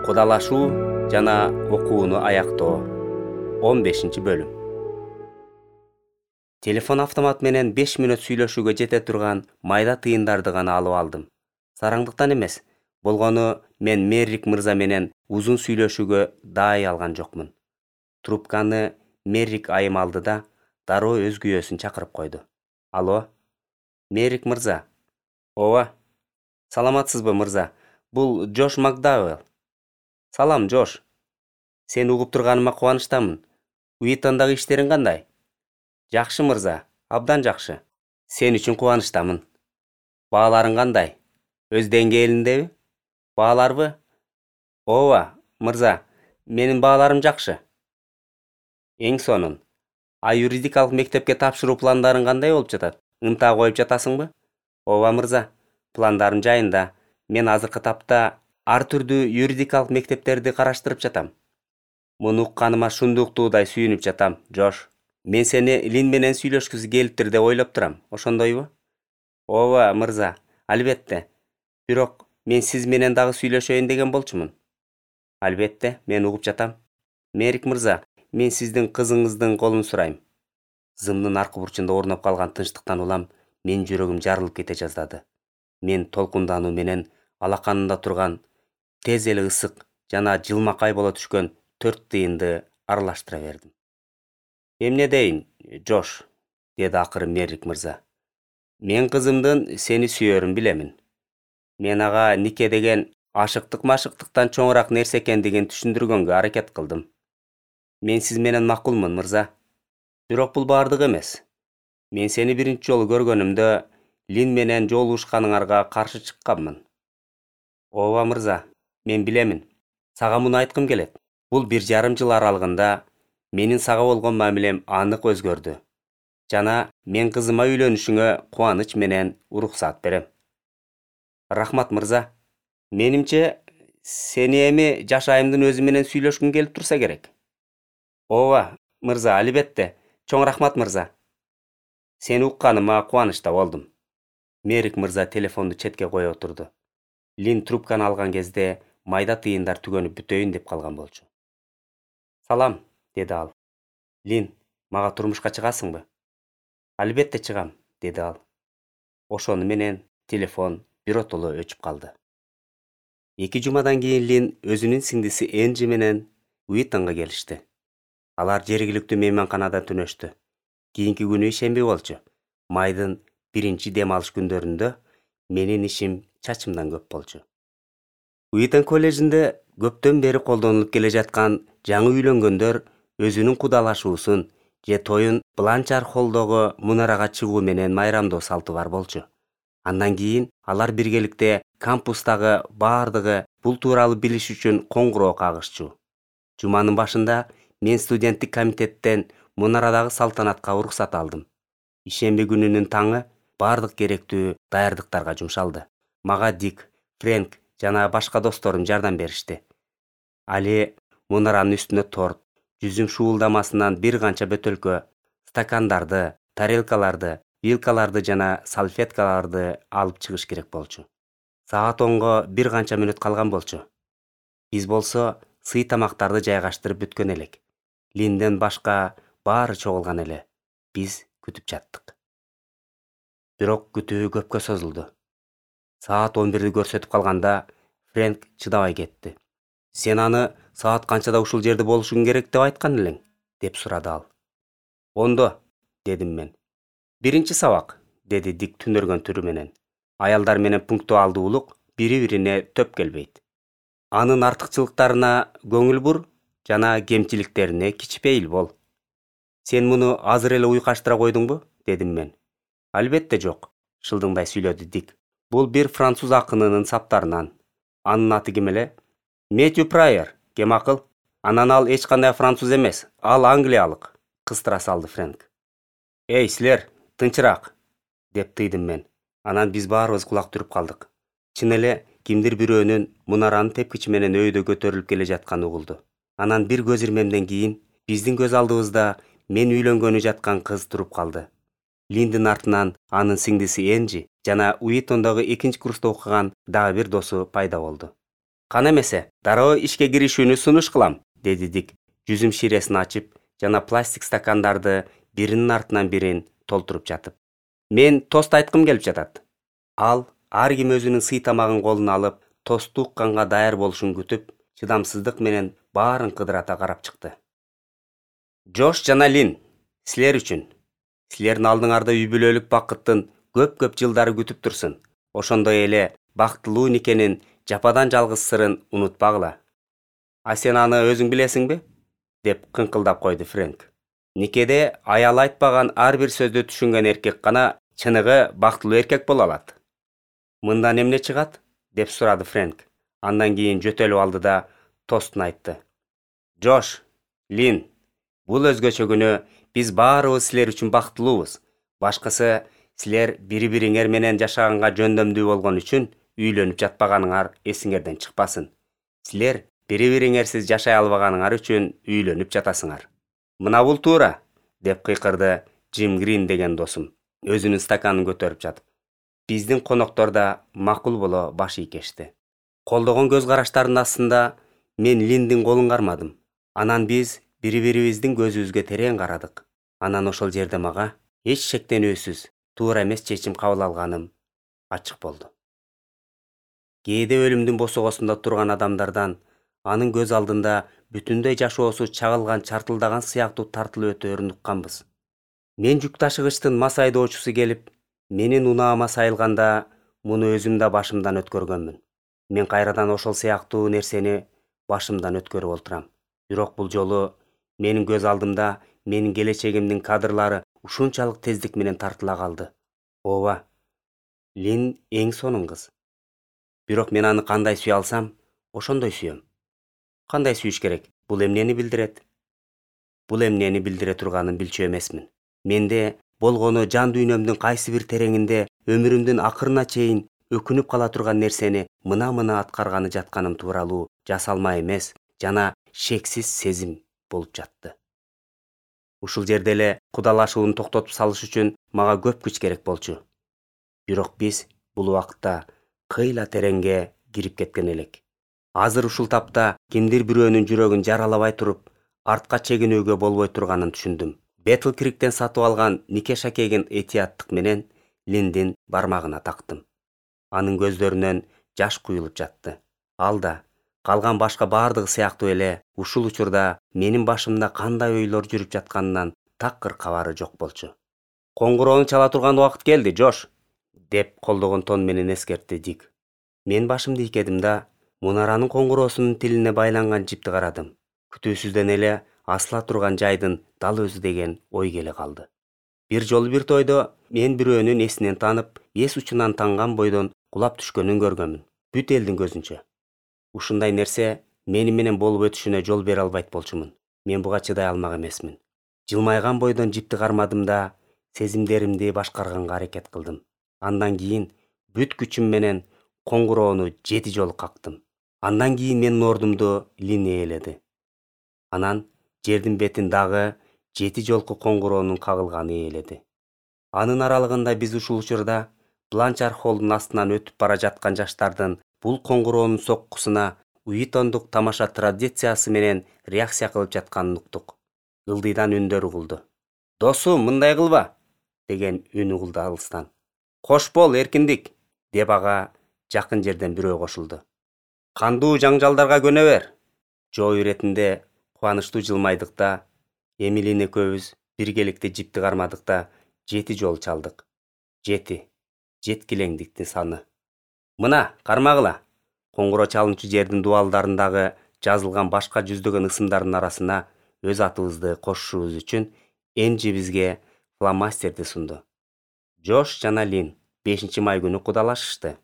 Кудалашуу жана окууну аяктоо. 15-бөлүм. Телефон автомат менен 5 мүнөт сүйлөшүүгө жете турган майда тыйындарды гана алып алдым. Сараңдыктан эмес, болгону мен Меррик мырза менен узун сүйлөшүүгө даай алган жокмун. Трубканы Меррик айым алды да дароо өз күйөөсүн чакырып койду. Алло, Меррик мырза. Ооба. Саламатсызбы мырза? Бул Джош Макдауэлл. Салам, Джош. Сени угуп турганыма кубанычтамын. Уитондагы иштериң кандай? Жакшы мырза, абдан жакшы. Сен үчүн кубанычтамын. Бааларың кандай? Өз деңгээлиндеби? Бааларбы? Ооба, мырза, менин бааларым жакшы. Эң сонун. Юридикалык мектепке тапшыруу пландарың кандай болуп жатат? Ынта коюп жатасыңбы? Ооба мырза, пландарым жайында. Мен азыркы тапта ар түрдүү юридикалык мектептерди караштырып жатам. Муну укканыма шундуктуудай сүйүнүп жатам, Джош. Мен сени Лин менен сүйлөшкүсү келиптир деп ойлоп турам, ошондойбу? Ооба мырза, албетте. Бирок мен сиз менен дагы сүйлөшөйүн деген болчумун. Албетте, мен угуп жатам. Меррик мырза, мен сиздин кызыңыздын колун сурайм. Зымдын аркы бурчунда орноп калган тынчтыктан улам менин жүрөгүм жарылып кете жаздады. Мен толкундануу менен алаканында турган тез эле ысык жана жылмакай боло түшкөн 4 тыйынды аралаштыра бердим. Эмне дейин, Джош, деди акыры Меррик мырза. Мен кызымдын сени сүйөрүн билемин. Мен ага нике деген ашыктык-машыктыктан чоңураак нерсе экендигин түшүндүргөнгө аракет кылдым. Мен сиз менен макулмун, мырза. Бирок бул бардыгы эмес. Мен сени биринчи жолу көргөнүмдө Лин менен жолугушканыңарга каршы чыкканмын. Ооба мырза, мен билемин. Сага муну айткым келет. Бул 1,5 жыл аралыгында менин сага болгон мамилем анык өзгөрдү. Жана мен кызыма үйлөнүшүңө кубаныч менен уруксат берем. Рахмат мырза. Менимче, сени эми жашайымдын өзү менен сүйлөшкүң келип турса керек. Ооба, мырза, албетте. Чоң рахмат мырза. Сени укканыма кубанычта болдум. Меррик мырза телефонду четке кое отурду. Лин трубканы алган кезде майда тыйындар түгөнүп бүтөйүн деп калган болчу. Салам, деди ал. Лин, мага турмушка чыгасыңбы? Албетте чыгам, деди ал. Ошону менен телефон биротоло өчүп калды. 2 жумадан кийин Лин өзүнүн сиңдиси Энджи менен Уитонго келишти. Алар жергиликтүү мейманканада түнөштү. Кийинки күнү ишемби болчу. Майдын 1 дем алыш күндөрүндө менин ишим чачымдан көп болчу. Уитон коллежинде көптөн бери колдонулуп келе жаткан жаңы үйлөнгөндөр өзүнүн кудалашуусун же тоюн Бланчар холлдогу мунарага чыгуу менен майрамдоо салты бар болчу. Андан кийин алар биргеликте кампустагы бардыгы бул тууралуу билиш үчүн коңгуроо кагышчу. Жуманын башында мен студенттик комитеттен мунарадагы салтанатка уруксат алдым. Ишемби күнүнүн таңы бардык керектүү даярдыктарга жумшалды. Мага Дик, Фрэнк жана башка досторум жардам беришти. Али мунаранын үстүнө торт, жүзүм шуулдамасынан бир канча бөтөлкө, стакандарды, тарелкаларды, вилкаларды жана салфеткаларды алып чыгыш керек болчу. Саат 10го бир канча мүнөт калган болчу. Биз болсо сый тамактарды жайгаштырып бүткөн элек. Линден башка баары чогулган эле. Биз күтүп жаттык. Бирок күтүү көпкө созулду. Саат 11ди көрсөтүп калганда Фрэнк чыдабай кетти. Сен аны саат канчада ушул жерде болушуң керек деп айткан элең, деп сурады ал. 10до, дедим мен. 1 сабак, деди Дик түнөргөн түрү менен. Аялдар менен пунктуалдуулук бири-бирине төп келбейт. Анын артыкчылыктарына көңүл бур жана кемчиликтерине кичпейил бол. Сен муну азыр эле уйкаштыра койдуңбу, дедим мен. Албетте жок, шылдыңдай сүйлөдү Дик. Бул бир француз акынынын саптарынан. Анын аты ким эле? Мэтью Прайер, кем акыл? Анан ал эч кандай француз эмес, ал англиялык, кыстыра салды Фрэнк. Эй, силер, тынчыраак, деп тыйдым мен. Анан биз баарыбыз кулак түрүп калдык. Чын эле кимдир бирөөнүн мунаранын тепкичи менен өйдө көтөрүлүп келе жатканы угулду. Анан бир көз ирмемден кийин биздин көз алдыбызда мен үйлөнгөнү жаткан кыз туруп калды. Линдин артынан анын сиңдиси Энджи жана Уитондогу 2 курста окуган дагы бир досу пайда болду. Кана эмесе, дароо ишке киришүүнү сунуш кылам, деди Дик, жүзүм ширесин ачып жана пластик стакандарды биринин артынан бирин толтуруп жатып. Мен тост айткым келип жатат. Ал ар ким өзүнүн сый тамагын колуна алып, тосту укканга даяр болушун күтүп, чыдамсыздык менен баарын кыдырата карап чыкты. Джош жана Лин, силер үчүн. Силердин алдыңарда үй бүлөлүк бакыттын көп жылдары күтүп турсун. Ошондой эле бактылуу никенин жападан жалгыз сырын унутпагыла. А сен аны өзүң билесиңби? Деп кыңкылдап койду Фрэнк. Никеде аял айтпаган ар бир сөздү түшүнгөн эркек гана чыныгы бактылуу эркек боло алат. Мындан эмне чыгат? Деп сурады Фрэнк. Андан кийин жөтөлүп алды да тостун айтты. Джош, Лин, бул өзгөчө күнү биз баарыбыз силер үчүн бактылуубуз. Башкысы, силер бири-бириңер менен жашаганга жөндөмдүү болгон үчүн үйлөнүп жатпаганыңар эсиңерден чыкпасын. Силер бири-бириңерсиз жашай албаганыңар үчүн үйлөнүп жатасыңар. Мына бул туура, деп кыйкырды Джим Грин деген досум, өзүнүн стаканын көтөрүп жатып. Биздин коноктор да макул боло баш ийкешти. Колдогон көз караштардын астында мен Линдин колун кармадым. Анан биз бири-бирибиздин көзүбүзгө терең карадык. Анан ошол жерде мага эч шектенүүсүз туура эмес чечим кабыл алганым ачык болду. Кээде өлүмдүн босогосунда турган адамдардан анын көз алдында бүтүндөй жашоосу чагылган чартылдаган сыяктуу тартылып өтөөрүн укканбыз. Мен жүк ташыгычтын мас айдоочусу келип, менин унаама сайылганда муну өзүм да башымдан өткөргөнмүн. Мен кайрадан ошол сыяктуу нерсени башымдан өткөрүп олтурам. Бирок бул жолу менин көз алдымда менин келечегимдин кадрлары ушунчалык тездик менен тартыла калды. Ооба, Лин эң сонун кыз. Бирок мен аны кандай сүйө алсам, ошондой сүйөм. Кандай сүйүш керек? Бул эмнени билдирет? Бул эмнени билдире турганын билчү эмесмин. Менде болгону жан дүйнөмдүн кайсы бир тереңинде өмүрүмдүн акырына чейин өкүнүп кала турган нерсени мына аткарганы жатканым тууралуу жасалма эмес жана шексиз сезим болуп жатты. Ушул жерде эле кудалашууну токтотуп салыш үчүн мага көп күч керек болчу. Бирок биз бул убакытта кыйла тереңге кирип кеткен элек. Азыр ушул тапта кимдир бирөөнүн жүрөгүн жаралабай туруп, артка чегинүүгө болбой турганын түшүндүм. Бетл Криктен сатып алган нике шакегин этияттык менен Линдин бармагына тактым. Анын көздөрүнөн жаш куюлуп жатты. Ал да, калган башка бардыгы сыяктуу эле, ушул учурда менин башымда кандай ойлор жүрүп жатканынан такыр кабары жок болчу. Коңгуроону чала турган убакыт келди, Джош, деп колдогон тон менен эскертти Дик. Мен башымды ийкедим да, мунаранын коңгуроосунун тилине байланган жипти карадым. Күтүүсүздөн эле асыла турган жайдын дал өзү деген ой келе калды. Бир жолу бир тойдо мен бирөөнүн эсинен танып, эс учунан танган бойдон кулап түшкөнүн көргөмүн. Бүт элдин көзүнчө. Ушундай нерсе мени менен болуп өтүшүнө жол бере албайт болчумун. Мен буга чыдай алмак эмесмин. Жылмайган бойдон жипти кармадым да, сезимдеримди башкарганга аракет кылдым. Андан кийин бүт күчүм менен коңгуроону 7 жолу кактым. Андан кийин менин ордумду Лин ээледи. Анан жердин бетин дагы 7 жолку коңгуроонун кагылганы ээледи. Анын аралыгында биз ушул учурда Бланчар холлдун астынан өтүп бара жаткан жаштардын бул коңгуроонун соккусуна Уитондук тамаша традициясы менен реакция кылып жатканын уктук. Ылдыйдан үндөр угулду. Досум, мындай кылба, деген үн угулду алыстан. Кош бол, эркиндик, деп ага жакын жерден бирөө кошулду. Кандуу жаңжалдарга көнө бер. Жоо иретинде кубанычтуу жылмайдык да, Эмилин экөөбүз биргеликте жипти кармадык да 7 жол чалдык. 7. Жеткилеңдиктин саны. Мына, кармагыла. Коңгуроо чалынчу жердин дубалдарындагы жазылган башка жүздөгөн ысымдардын арасына өз атыбызды кошушубуз үчүн Энджи бизге фломастерди сунду. Джош жана Лин 5-май күнү кудалашышты,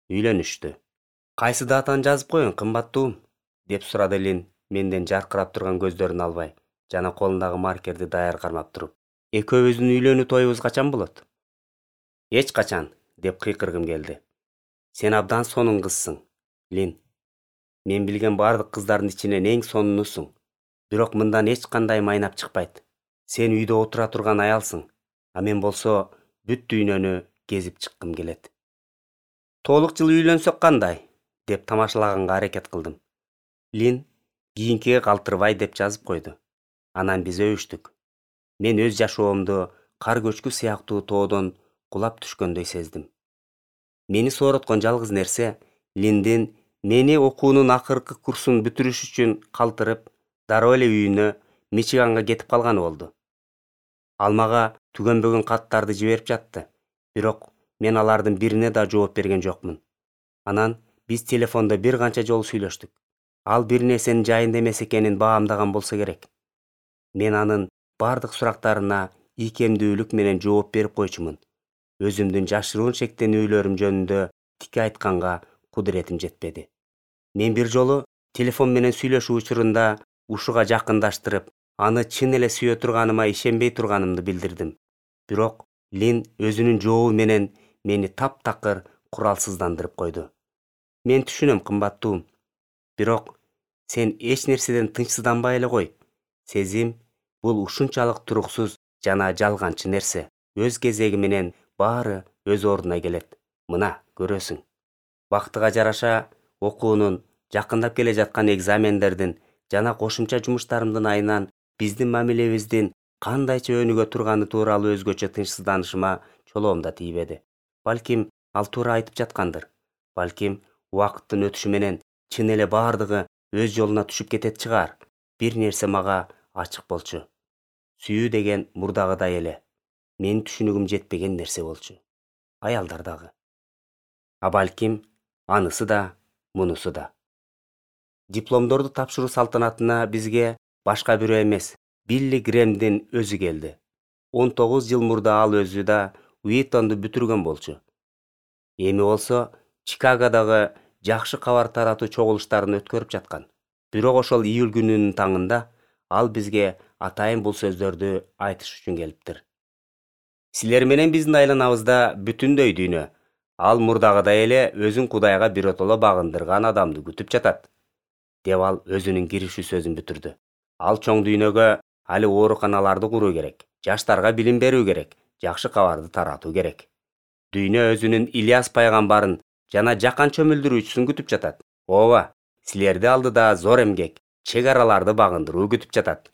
үйлөнүштү. Кайсы датаны жазып коеюн, кымбаттуум? Деп сурады Лин, менден жаркырап турган көздөрүн албай, жана колундагы маркерди даяр кармап туруп. Экөөбүздүн үйлөнүү тоюбуз качан болот? Эч качан, деп кыйкыргым келди. Сен абдан сонун кызсың, Лин. Мен билген бардык кыздардын ичинен эң сонунусуң. Бирок мындан эч кандай майнап чыкпайт. Сен үйдө отура турган аялсың, а мен болсо бүт дүйнөнү кезип чыккым келет. Толук жыл үйлөнсөк кандай? деп тамашалаганга аракет кылдым. Лин кийинкиге калтырбай деп жазып койду. Анан биз өбүштүк. Мен өз жашоомду кар көчкү сыяктуу тоодон кулап түшкөндөй сездим. Мени соороткон жалгыз нерсе Линдин мени окуунун акыркы курсун бүтүрүш үчүн калтырып, дароо эле үйүнө Мичиганга кетип калганы болду. Ал мага түгөнбөгөн каттарды жиберип жатты, бирок мен алардын бирине да жооп берген жокмун. Анан биз телефондо бир канча жолу сүйлөштүк. Ал бир нерсенин жайында эмес экенин баамдаган болсо керек. Мен анын бардык сурактарына ийкемдүүлүк менен жооп берип койчумун. Өзүмдүн жашыруун шектенүүлөрүм жөнүндө тики айтканга кудуретим жетпеди. Мен бир жолу телефон менен сүйлөшүү учурунда ушуга жакындаштырып, аны чын эле сүйө турганыма ишенбей турганымды билдирдим. Бирок Лин өзүнүн жообу менен мени таптакыр куралсыздандырып койду. Мен түшүнөм, кымбаттуум. Бирок сен эч нерседен тынчсызданбай эле кой. Сезим бул ушунчалык туруксуз жана жалганчы нерсе. Өз кезеги менен баары өз ордуна келет. Мына, көрөсүң. Бактыга жараша окуунун, жакындап келе жаткан экзамендердин жана кошумча жумуштарымдын айынан биздин мамилебиздин кандайча өнүгө турганы тууралуу өзгөчө тынчсызданышыма чолоом да тийбеди. Балким ал туура айтып жаткандыр. Балким убакыттын өтүшү менен чын эле баардыгы өз жолуна түшүп кетет чыгар. Бир нерсе мага ачык болчу. Сүйүү деген мурдагыдай эле. Менин түшүнүгүм жетпеген нерсе болчу. Аялдар дагы. А балким анысы да, мунусу да. Дипломдорду тапшыруу салтанатына бизге башка бирөө эмес, Билли Грэмдин өзү келди. 19 жыл мурда ал өзү да Уитонду бүтүргөн болчу. Эми болсо Чикагодогу жакшы кабар таратуу чогулуштарын өткөрүп жаткан. Бирок ошол июль күнүнүн таңында ал бизге атайын бул сөздөрдү айтыш үчүн келиптир. Силер менен биздин айланабызда бүтүндөй дүйнө, ал мурдагыдай эле өзүн Кудайга биротоло багындырган адамды күтүп жатат, деп ал өзүнүн киришүү сөзүн бүтүрдү. Ал чоң дүйнөгө али ооруканаларды куруу керек, жаштарга билим берүү керек, жакшы кабарды таратуу керек. Дүйнө өзүнүн Ильяс пайгамбарын жана жакан чөмүлдүрүүчүсүн күтүп жатат. Ооба, силерди алдыда зор эмгек, чек араларды багындыруу күтүп жатат.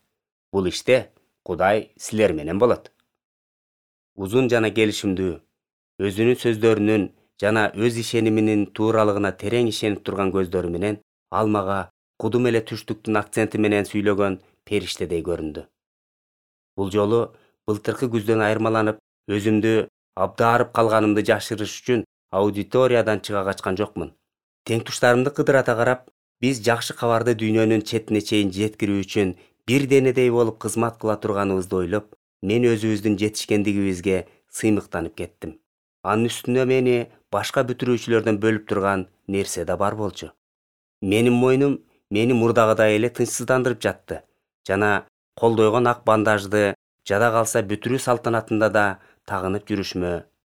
Бул иште Кудай силер менен болот. Узун жана келишимдүү, өзүнүн сөздөрүнүн жана өз ишениминин тууралыгына терең ишенип турган көздөрү менен ал мага кудум эле түштүктүн акценти менен сүйлөгөн периштедей көрүндү. Бул жолу былтыркы күздөн айырмаланып, өзүмдү абдаарып калганымды жашырыш үчүн аудиториядан чыга качкан жокмун. Тең-туштарымды кыдырата карап, биз жакшы кабарды дүйнөнүн четине чейин жеткирүү үчүн бир денедей болуп кызмат кыла турганыбызды ойлоп, мен өзүбүздүн жетишкендигибизге сыймыктанып кеттим. Анын үстүнө мени башка бүтүрүүчүлөрдөн бөлүп турган нерсе да бар болчу. Менин мойнум мени мурдагыдай эле тынчсыздандырып жатты жана колдойгон ак бандажды жада калса бүтүрүү салтанатында да тагынып жүрүшүмө